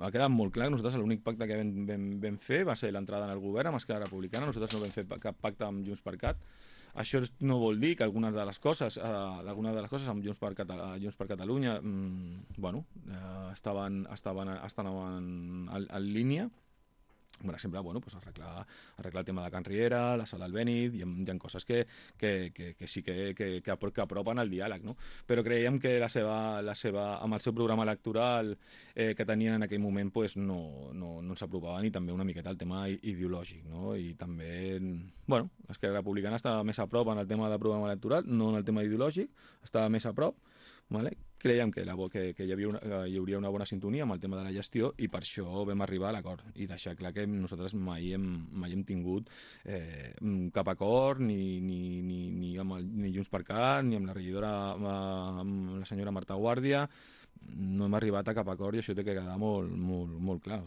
ha quedat molt clar que nosaltres l'únic pacte que vam fer va ser l'entrada en el govern amb Esquerra Republicana. Nosaltres no vam fer cap pacte amb Junts per Cat. Això no vol dir que algunes de les coses amb Junts per Catalunya estan en línia. Per exemple, pues arreglar el tema de Can Riera, la sala Albéniz, hi ha coses que sí que apropen el diàleg, no? Però creiem que amb el seu programa electoral que tenien en aquell moment pues, no s'apropaven, i també una miqueta el tema ideològic, no? I també, l'Esquerra Republicana estava més a prop en el tema del programa electoral, no en el tema ideològic, estava més a prop, vale? Creiem que hi hauria una bona sintonia amb el tema de la gestió, i per això vam arribar a l'acord i deixar clar que nosaltres mai hem tingut cap acord ni Junts per Cat, ni amb la regidora, amb la senyora Marta Guàrdia. No hem arribat a cap acord, i això té que quedar molt clar.